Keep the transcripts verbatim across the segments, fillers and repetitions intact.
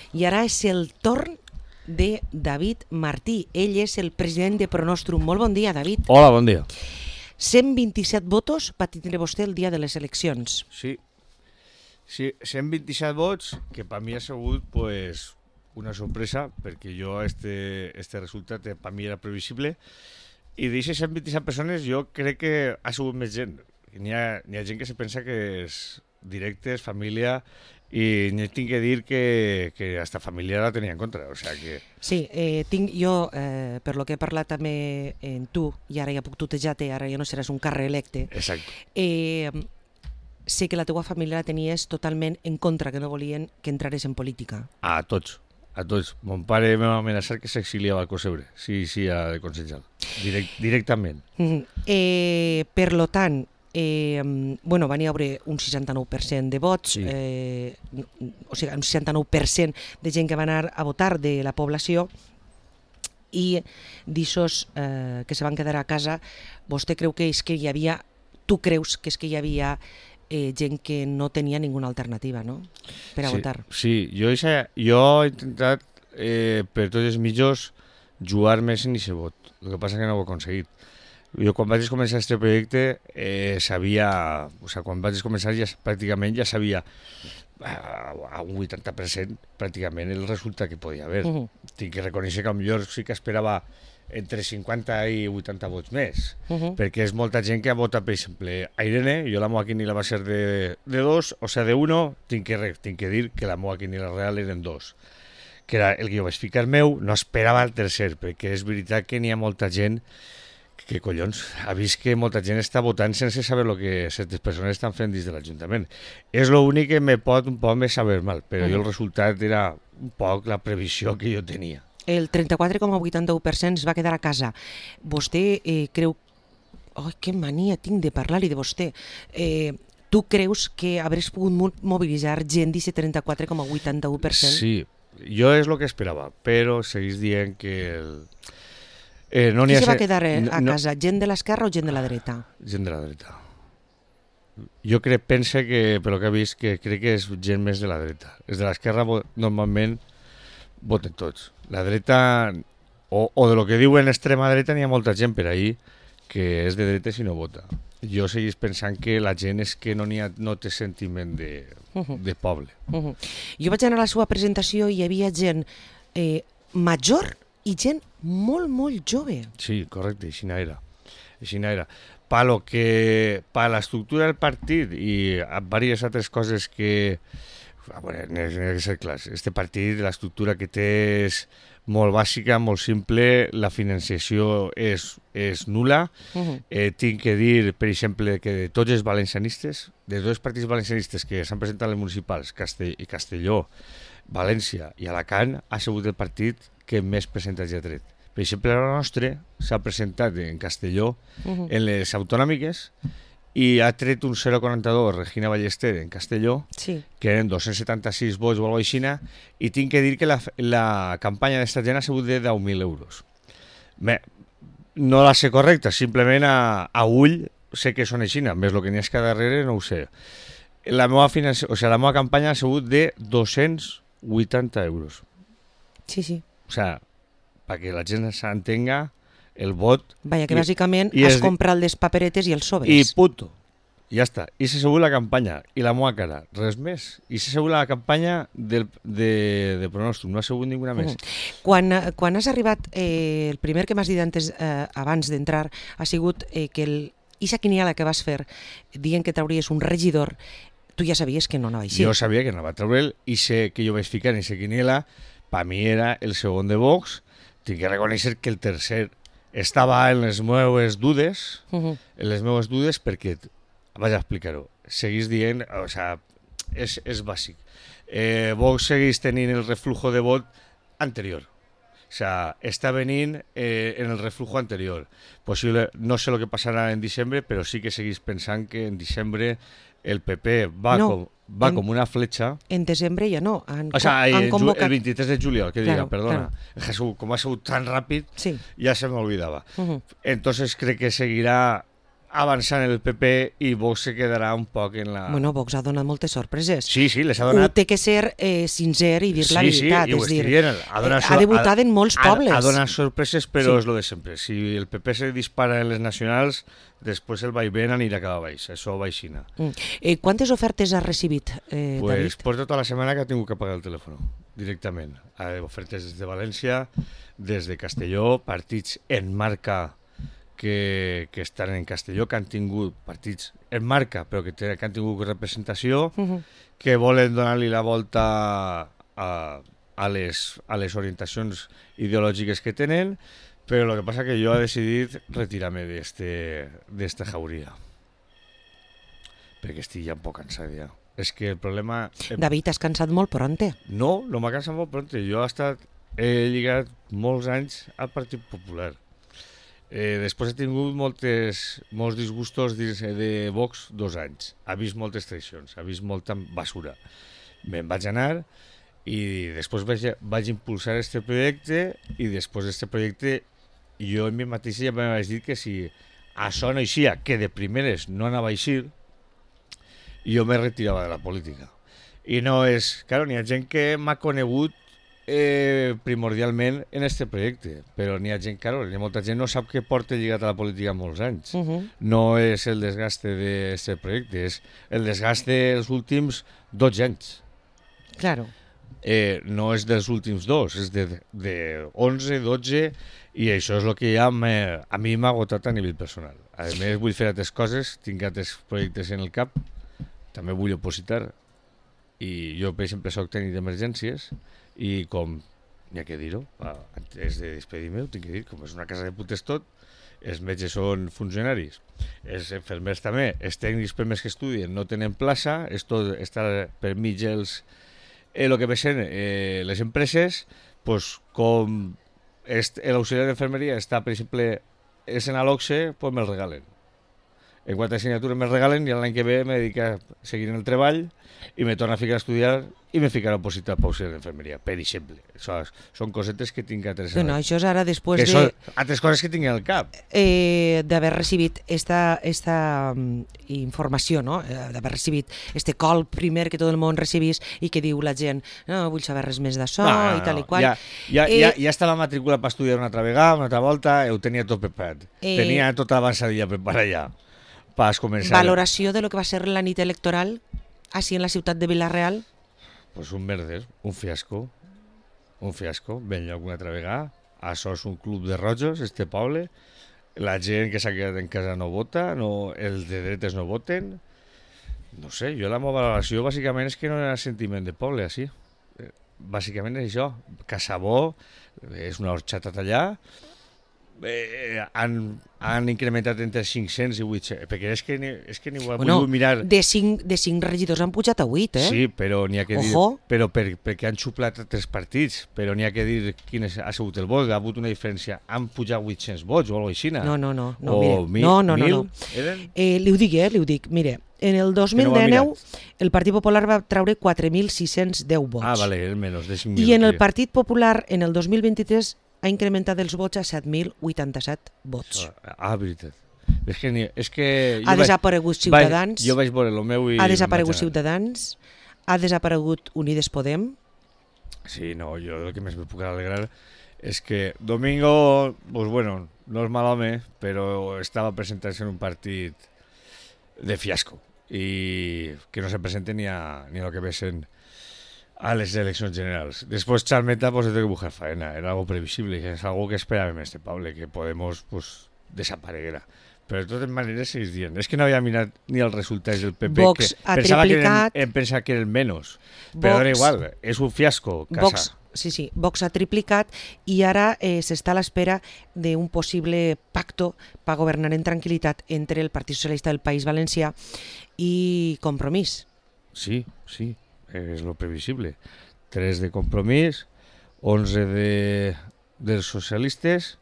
I ara és el torn de David Martí. Ell és el president de Pronostrum. Molt bon dia, David. Hola, bon dia. cent vint-i-set vots va tindre vostè el dia de les eleccions. Sí, sí cent vint-i-set vots, que per mi ha sigut pues, una sorpresa, perquè jo este, este resultat per mi era previsible, i d'aquestes cent vint-i-set persones jo crec que ha sigut més gent. N'hi ha, n'hi ha gent que se pensa que és directes, família, i n'hi tinc que dir que, que hasta família la tenia en contra. O sea que... Sí, eh, tinc jo, eh, per lo que he parlat també en tu, i ara ja puc tutejar-te, ara ja no seràs un carrer electe, Exacte. eh, sé que la teua família la tenies totalment en contra, que no volien que entrares en política. A tots, a tots. Mon pare em va amenaçar que s'exiliava al Cosebre, si sí, sí, ha de consellar, Direct, directament. Mm. Eh, per lo tant, Eh, bueno, van hi haure un seixanta-nou per cent de vots, Sí. eh, o sigui, un seixanta-nou per cent de gent que va anar a votar de la població, i d'aixòs eh, que se van quedar a casa, vostè creu que és que hi havia, tu creus que és que hi havia eh, gent que no tenia ninguna alternativa, no?, per a sí, votar. Sí, jo, eixa, jo he intentat eh, per tots els mitjos jugar més en aquest vot, el que passa que no ho he aconseguit. Jo quan vaig començar aquest projecte eh, sabia, o sigui, quan vaig començar ja, pràcticament ja sabia a un vuitanta per cent pràcticament el resultat que podia haver. Uh -huh. Tinc que reconèixer que potser sí que esperava entre cinquanta i vuitanta vots més, uh -huh. perquè és molta gent que ha votat, per exemple, a Irene. Jo la meva quiniela va ser de, de dos, o sigui, de uno, tinc que, tinc que dir que la meva quiniela real eren dos, que era el que jo vaig ficar meu. No esperava el tercer, perquè és veritat que n'hi ha molta gent que collons, ha vist que molta gent està votant sense saber el que certes persones estan fent dins de l'Ajuntament. És l'únic que me pot un poc més saber mal, però uh-huh. jo el resultat era un poc la previsió que jo tenia. El trenta-quatre coma vuitanta-u per cent es va quedar a casa. Vostè eh, creu... Oh, que mania tinc de parlar-li de vostè. Eh, tu creus que hauràs pogut mobilitzar gent d'aquest trenta-quatre coma vuitanta-u per cent? Sí, jo és el que esperava, però seguís dient que... El... Eh, no Qui se va ser... quedar a no, casa? Gent de l'esquerra o gent de la dreta? Gent de la dreta. Jo crec, pense que, per lo que he vist, que crec que és gent més de la dreta. Els de l'esquerra normalment voten tots. La dreta, o, o de lo que diuen extrema dreta, n'hi ha molta gent per ahí que és de dreta si no vota. Jo seguís pensant que la gent és que no, n'hi ha, no té sentiment de, uh-huh. de poble. Uh-huh. Jo vaig anar a la seva presentació i hi havia gent eh, major i gent molt, molt jove. Sí, correcte, així era. Així era. Per lo que, per l'estructura del partit i diverses altres coses que... A veure, n'hi ha que ser clars. Este partit, l'estructura que té és molt bàsica, molt simple, la financiació és, és nul·la. Uh-huh. eh, tinc que dir, per exemple, que de tots els valencianistes, de tots els partits valencianistes que s'han presentat a les municipals, Castell, Castelló, València i Alacant, ha sigut el partit que més percentatge ha tret. Per exemple, la nostra s'ha presentat en Castelló, uh-huh. en les autonòmiques, i ha tret un zero coma quaranta-dos Regina Ballester en Castelló, sí. que eren dos-cents setanta-sis vots o alguna cosa així, i tinc que dir que la, la campanya d'esta gent ha sigut de deu mil euros. Bé, no la sé correcta, simplement a, a ull sé que són així, més el que n'hi ha que darrere no ho sé. La meva, financi... o sigui, la meva campanya ha sigut de dos-cents vuitanta euros. Sí, sí. O sea, perquè la gent s'entenga el vot... Vaja, que i, bàsicament has es... comprat les paperetes i els sobres. I puto. Ja està. I s'ha sigut la campanya. I la meva cara. Res més. I s'ha sigut la campanya del, de, de Pronostrum. No ha sigut ninguna més. Uh-huh. Quan, quan has arribat, eh, el primer que m'has dit antes, eh, abans d'entrar, ha sigut eh, que el, ixa quiniela que vas fer, dient que trauries un regidor, tu ja sabies que no anava així. Jo sabia que no va treure'l, i sé que jo vaig ficar en aquesta quiniela. Per mi era el segon de Vox. Tinc que reconèixer que el tercer estava en les meves dudes, uh-huh. en les meves dudes perquè, vaig a explicar-ho, seguís dient, o sigui, és, és bàsic. Eh, Vox seguís tenint el reflujo de vot anterior. O sigui, està venint eh, en el reflujo anterior. Possible, no sé el que passarà en diciembre, però sí que seguís pensant que en diciembre el P P va no. com... va en, com una fletxa. En desembre ja no. Han, o sea, han el, convocat... el vint-i-tres de juliol, que claro, diga, perdona. Claro. Jesús, com ha sigut tan ràpid, sí. ja se me olvidaba. Uh-huh. Entonces crec que seguirà avançant el P P i Vox se quedarà un poc en la... Bueno, Vox ha donat moltes sorpreses. Sí, sí, les ha Ho donat... té que ser eh, sincer i dir sí, la veritat. Sí, i ho és dir, estic dient. Ha, donat, ha debutat en molts ha, pobles. Ha donat sorpreses, però Sí. és lo de sempre. Si el P P se dispara en les nacionals, després el vaivén anirà cap a baix. Això va aixina. Mm. Eh, quantes ofertes ha recibit, eh, Pues David? porta tota la setmana que ha tingut que pagar el telèfon, directament. Ha ofertes des de València, des de Castelló, partits en marca que, que estan en Castelló, que han tingut partits en marca, però que, te, que han tingut representació, Uh -huh. que volen donar-li la volta a, a, les, a les orientacions ideològiques que tenen, però el que passa que jo he decidit retirar-me d'esta jauria. Perquè estic ja un poc cansat ja. És que el problema... David, has cansat molt pronte. No, no m'ha cansat molt pronte. Jo he estat... He lligat molts anys al Partit Popular. Eh, després he tingut moltes, molts disgustos dins de Vox dos anys. Ha vist moltes traïcions, ha vist molta basura. Me'n vaig anar i després vaig, vaig impulsar este projecte i després d'este projecte jo en mi mateix ja me vaig dir que si això no eixia, que de primeres no anava a eixir, jo me retirava de la política. I no és... Claro, n'hi ha gent que m'ha conegut Eh, primordialment en este projecte, però n'hi ha gent, claro, n'hi ha molta gent no sap que porta lligat a la política molts anys. Uh -huh. No és el desgaste d'aquest projecte, és el desgaste dels últims dotze anys. Claro. Eh, no és dels últims dos, és de, de onze, dotze, i això és el que ja a mi m'ha agotat a nivell personal. A més, vull fer altres coses, tinc altres projectes en el cap, també vull opositar, i jo, per exemple, soc tècnic d'emergències, i com, n'hi ha que dir-ho, antes de despedir-me, ho tinc que dir, com és una casa de putes tot, els metges són funcionaris, els infermers també, els tècnics per més que estudien no tenen plaça, és tot, està per mig els, eh, el que veixen eh, les empreses, pues, com l'auxiliar d'infermeria està, per exemple, és en l'O C S E, pues me'l regalen. En quant a assignatures me'l regalen i l'any que ve me dedica a seguir en el treball i me torna a ficar a estudiar i me ficarà a opositar per auxiliar d'infermeria, per exemple. Això, són cosetes que tinc altres... No, no, això és ara després que de... són altres coses que tinc al cap. Eh, d'haver recibit esta, esta um, informació, no? Eh, d'haver recibit este col primer que tot el món recibís i que diu la gent, no vull saber res més d'això no, no, i tal no. i qual. Ja, ja, eh, ja, ja estava matriculat per estudiar una altra vegada, una altra volta, ho tenia tot preparat. Eh, tenia tota l'avançadilla preparada ja. Pas començar. Valoració de lo que va ser la nit electoral així en la ciutat de Vila-real? Pues un merder, un fiasco. Un fiasco, ben lloc una altra vegada. Això és un club de rojos, este poble. La gent que s'ha quedat en casa no vota, no, els de dretes no voten. No sé, jo la meva valoració bàsicament és que no hi ha sentiment de poble, així. Bàsicament és això. Casabó, és una horxata allà. Eh, han, han incrementat entre cinc-cents i vuit-cents, perquè és que ni, és que ni ho bueno, vull mirar. De cinc, de cinc regidors han pujat a vuit, eh? Sí, però n'hi ha que dir... Ojo. Però per, perquè han xuplat tres partits, però n'hi ha que dir quin és, ha sigut el vot, ha hagut una diferència. Han pujat vuit-cents vots o alguna cosa així. No, no, no, no, o mire, mil, no, no, no, mil, no. Eren? Eh, li ho dic, eh, li ho dic, mire, en el dos mil dinou el Partit Popular va treure quatre mil sis-cents deu vots. Ah, vale, el menys de cinc mil. I en el Partit Popular, en el dos mil vint-i-tres, ha incrementat els vots a set mil vuitanta-set vots. Ah, veritat. És que, ni, és que ha desaparegut vaig, Ciutadans, jo vaig veure el meu i... ha desaparegut Ciutadans, ha desaparegut Unides Podem. Sí, no, jo el que més me puc alegrar és que Domingo, pues bueno, no és mal home, però estava presentant-se en un partit de fiasco i que no se presente ni a, ni a lo que vesen a les eleccions generals. Després Charmeta pues, de buscar faena, era algo previsible, és algo que esperàvem este Pablo, que Podemos pues, desapareguera. Però de totes maneres seguís dient, és que no havia mirat ni els resultats del P P, Vox que ha pensava triplicat, que eren, em pensava que eren menys, però era igual, és un fiasco, casa. Vox, sí, sí, Vox ha triplicat i ara eh, s'està a l'espera d'un possible pacto per governar en tranquil·litat entre el Partit Socialista del País Valencià i Compromís. Sí, sí, és lo previsible. tres de Compromís, onze de, dels socialistes.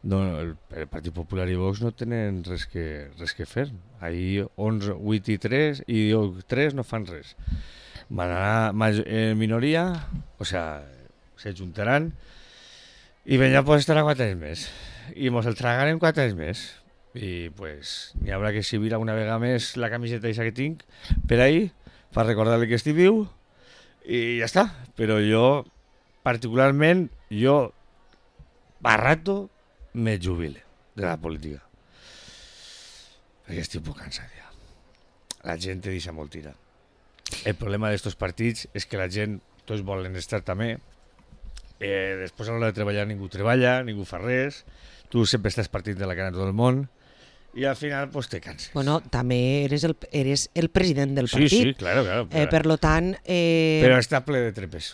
No, el, el Partit Popular i Vox no tenen res que, res que fer. Ahir onze, vuit i tres, i tres no fan res. Van anar en minoria, o sea, se juntaran, i ben ja pues estarà quatre anys més. I mos el tragaran quatre anys més. i pues n'hi haurà que exhibir alguna vegada més la camiseta aquesta que tinc per ahí, per recordar-li que estic viu, i ja està. Però jo, particularment, jo, a rato, me jubile de la política. Perquè estic un poc cansat ja. La gent te deixa molt tirar. El problema d'estos partits és que la gent, tots volen estar també, eh, després a l'hora de treballar ningú treballa, ningú fa res, tu sempre estàs partint de la cara de tot el món, i al final pues, te canses. Bueno, també eres el, eres el president del partit. Sí, sí, claro, claro. Eh, per lo tant... Eh... Però està ple de trepes.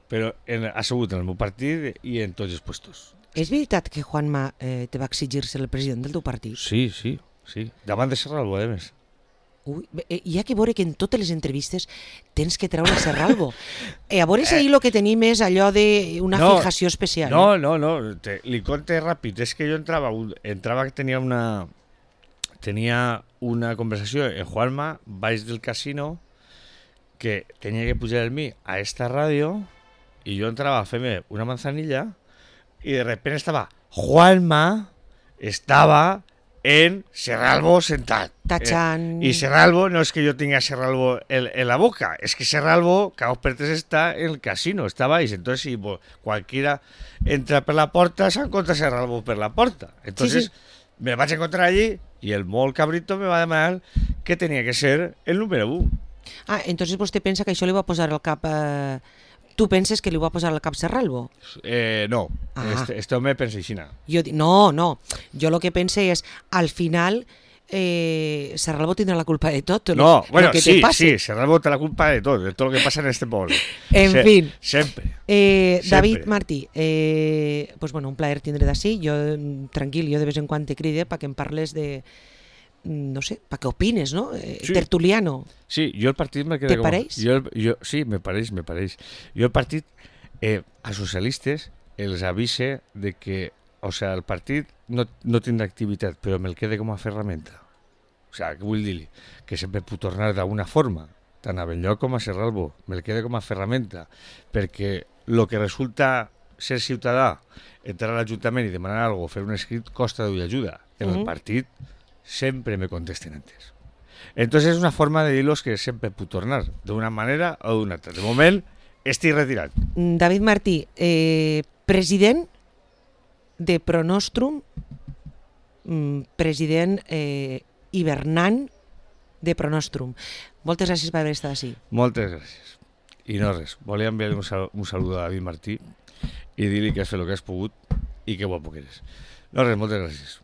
Però en, ha assegut en el meu partit i en tots els puestos. És veritat que Juanma eh, te va exigir ser el president del teu partit? Sí, sí, sí. Davant de Serralbo, a més. Ui, eh, hi ha que veure que en totes les entrevistes tens que treure Serralbo. Eh, a veure si ahir el que tenim és allò d'una no, fijació especial. No, no, no, te, li conte ràpid. És que jo entrava, entrava que tenia una, tenia una conversació en Juanma, baix del casino, que tenia que pujar el mi a esta ràdio, i jo entrava a fer-me una manzanilla, y de repente estaba Juanma, estaba en Serralbo sentado. Tachan. Eh, y Serralbo, no es que yo tenga Serralbo en, en la boca, es que Serralbo, Caos Pertes, está en el casino, estaba ahí. Entonces, si pues, cualquiera entra por la puerta, se encuentra Serralbo por la puerta. Entonces, sí, sí. Me vas a encontrar allí y el molt cabrito me va a demanar que tenía que ser el número uno. Ah, entonces vostè pensa que això li va posar al cap... Eh... Tu penses que li va posar al cap Serralbo? Eh, no, ah. este, este home pensa així. No, no, jo el que pense és, al final, eh, Serralbo tindrà la culpa de tot. No, lo, bueno, lo que sí, te pase. sí, Serralbo té la culpa de tot, de tot el que passa en este poble. En Se, fin. Sempre. Eh, sempre. David Martí, eh, pues bueno, un plaer tindre d'ací. Jo, tranquil, jo de vez en quan te cride perquè em parles de... no sé, para qué opines, ¿no? Eh, sí. Tertuliano. Sí, yo el partido me quedé ¿Te como... pareix? Yo, yo, sí, me pareix, me pareix. Yo el partido, eh, a socialistes, els avise de que, o sea, el partit no, no tindrà activitat, però me'l quede com a ferramenta. O sea, què vull dir-li? Que sempre puc tornar d'alguna forma, tant a Benlloc com a Serralbo, me'l quede com a ferramenta, perquè el que resulta ser ciutadà, entrar a l'Ajuntament i demanar alguna cosa, fer un escrit, costa d'ull ajuda. En uh-huh. el partit sempre me contesten antes. Entonces es una forma de dir-los que sempre puc tornar, d'una manera o d'una altra. De moment, estic retirat. David Martí, eh, president de Pronostrum, president eh, hivernant de Pronostrum. Moltes gràcies per haver estat així. Moltes gràcies. I no res, volia enviar un, sal un saludo a David Martí i dir-li que has fet el que has pogut i que guapo que eres. No res, moltes gràcies.